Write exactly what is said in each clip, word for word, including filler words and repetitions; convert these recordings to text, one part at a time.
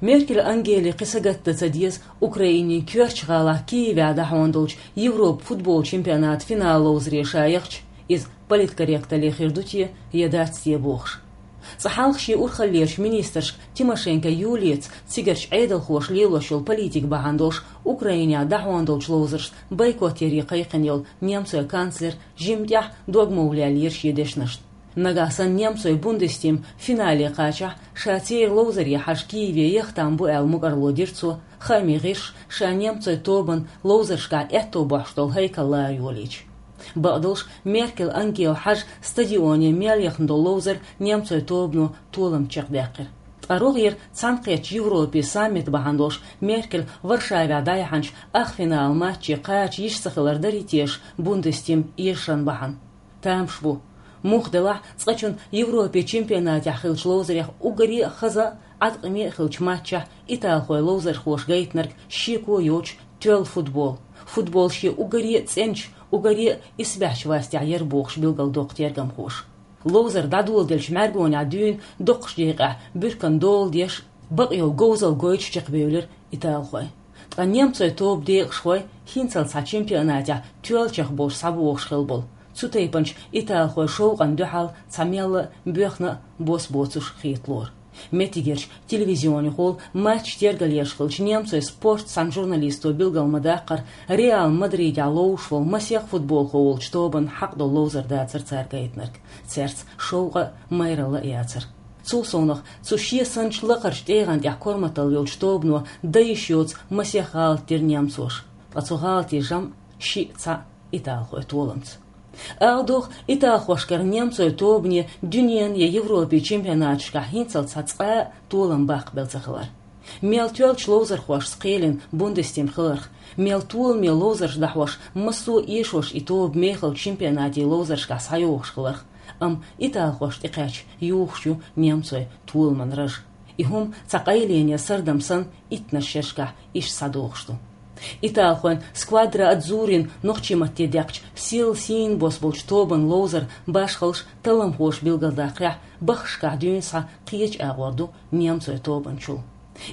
Меркель Ангеле кхин сагатдан ца деза Украинин коьртачу гӀалахь Киевехь дӀахьондолчу Европан футбол чемпионатан финал ловзаре ша яхча, иза политкорректалле хир ду те, я дац те бохуш. Цкъа хьалха шен урхаллерчу министрашка Тимошенко Юлияца цигарчу Ӏедалхоша лелош йолу политика бахьана долуш Украинехь дӀахьондолчу ловзаршна бойкот яре кхайкхина йолу немцойн канцлер жимма тӀехь дог ма валлера шен дешнашна. Нагахь санна немцойн Бундестим финале кхачахь, ша церан ловзаре хьажа Киеве яха там бу аьлла мукӀарло дира цо, хаамийн гӀирсаша ша немцойн тобанан ловзаршкахь аьтто бохьуш долу хьайкал лара йолийча. Бакъдолуш, Меркель Ангела хьажа стадионе мел яхана долу ловзар немцойн тобано толам чекхдаьккхира. Ткъа рогӀера цхьаьнакхеттачу Европин саммит бахьана долуш Меркель Варшавехь дӀаяьхьначу ахфиналан матче кхача йиш ца хилар дарий теша Бундестим эшаран бахьана? Тамаш бу. Муха делахь а, цкъачунна Европин чемпионатехь хиллачу ловзарех уггаре а хаза, Ӏаткъаме а хиллачу матчехь италхойн ловзархоша гайтинарг шеко йоцуш тоьлла футбол. Футбол шен уггаре а цӀеначу, уггаре а исбаьхьчу вастехь яра бохуш билгалдоккху тергамхоша. Ловзар дӀадоладелча мӀаьргонехь дуьйна доккхачу декъехь буьрканна дола деш, бакъйолу говзалла гойтуш чекхбевлира италхой. Ткъа немцойн тобан декъашхой хӀинццалц цхьа чемпионатехь тоьллачех болуш схьабогӀуш хилла болу цу тайпанчу италхойн шовкъана дуьхьал цхьа мелла а боьхна а бос боцуш хеталора. Меттигерчу телевизионехула матч тергалъеш хиллачу немцойн «Спорт» цхьана журналисто билгал ма-даккхара, Реал Мадридехь ловзуш волу масех футболхо волчу тобанна хьакъ долу ловзар дацара цара гайтинарг. Цаьрца шовкъа а, майралла а яцара. Цул совнаха, цу шен санначу лакхарчу тӀегӀан тӀехь корматалла йолчу тобано дан йиш йоцу масех гӀалат дира немцоша. Ткъа цу гӀалатийн жамӀ шиъ, цхьаъ италхойн толамца. Ала догӀу, италхошкара немцойн тобане дуьненан я Европин чемпионаташкахь хӀинццалц цхьа цкъа а толам баккхабелла ца хилар. Мел тоьллачу ловзархошца кхелина Бундестим хиларх, мел толаме ловзарш дӀахьош, массо а эшош и тоба мехалчу чемпионатийн ловзаршкахь схьайогӀуш хиларх, амма италхошна тӀекхаьчча юхуш ю немцойн толаман раж. И хӀума цхьа къайлене сардам санна иттаннаш шерашкахь иштта схьадогӀуш ду. Италхойн «Сквадра Адзуррин» нохчийн матте даьккхича, сел сийна бос болчу тобанан ловзар башхаллаш, талламхоша билгалдаккхарехь, баххашкахь дуьйна схьа кхечу агӀор ду немцойн тобанчул.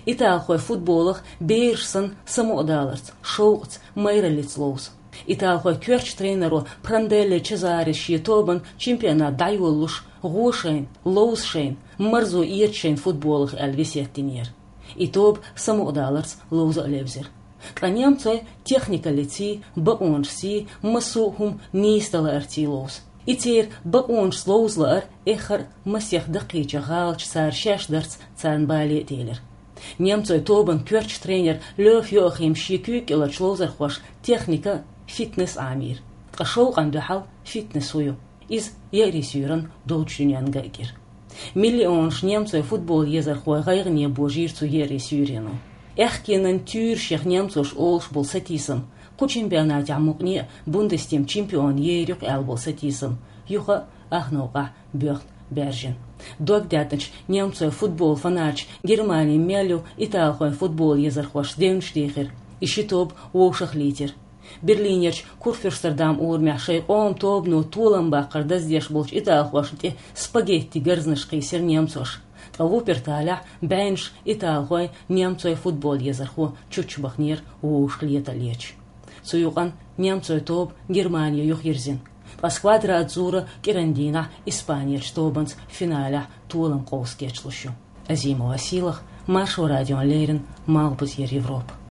Италхой футболах бераш санна самукъадаларца, шовкъаца, майраллица ловзу. Италхойн коьртачу тренеро Пранделле Чезарес шен тобанан чемпионат дӀайолалуш, гӀо шайна, ловза шайна, марзо эца шайна футболах аьлла весет динера. И тоба самукъадаларца ловза а левзира. Ткъа немцой техникаллиций, бакъонашций, массо а хӀума нийса дан лаарций ловзу. И церан бакъонашца ловза лаар эххар а масех даккхийчех гӀалаташ цара шаьш дарца царна бале а телира. Немцойн тобанан коьртачу тренера Лёв Йоахима шен куьйга кӀеларчу ловзархошна техника а, фитнес а Ӏамийра. Ткъа шовкъана дуьхьал фитнес хӀун ю? Иза еарин суьйранна долчу дуьненна гайгира. Миллионаш немцойн футбол езархой гӀайгӀане божийра цу еарин суьйрено. Аьхкенан туьйрашех немцоша олуш болу сатийсам, кху чемпионатехь мукъане а Бундестим чемпион ер ю-кх аьлла болу сатийсам, юха а ах новкъахь боьхна баьржина. Дог даьдначу немцойн футбол фанаташа Германи мел ю италхойн футбол езархошца девнаш дийхира, и ши тоба вовшахлийтира. Берлинерчу Курфюрстендам урамехь шайн къоман тобано толам баккхар даздеш болчу италхошна тӀе спагетти гарзнаш кхийсира немцоша. Ткъа Вупперталехь бӀеннаш италхой, немцой футбол езархо чуччабахнера вовшахлеталлечу. Цу юкъанна немцой тоба Германе юхайирзина. Ткъа «Сквадра Адзура» кӀиран дийнахь Испанерчу тобанца финалехь толам къовса кечлуш ю. Азимова Сийлаха, Маршо радиона леррина, Малхбузера Европа.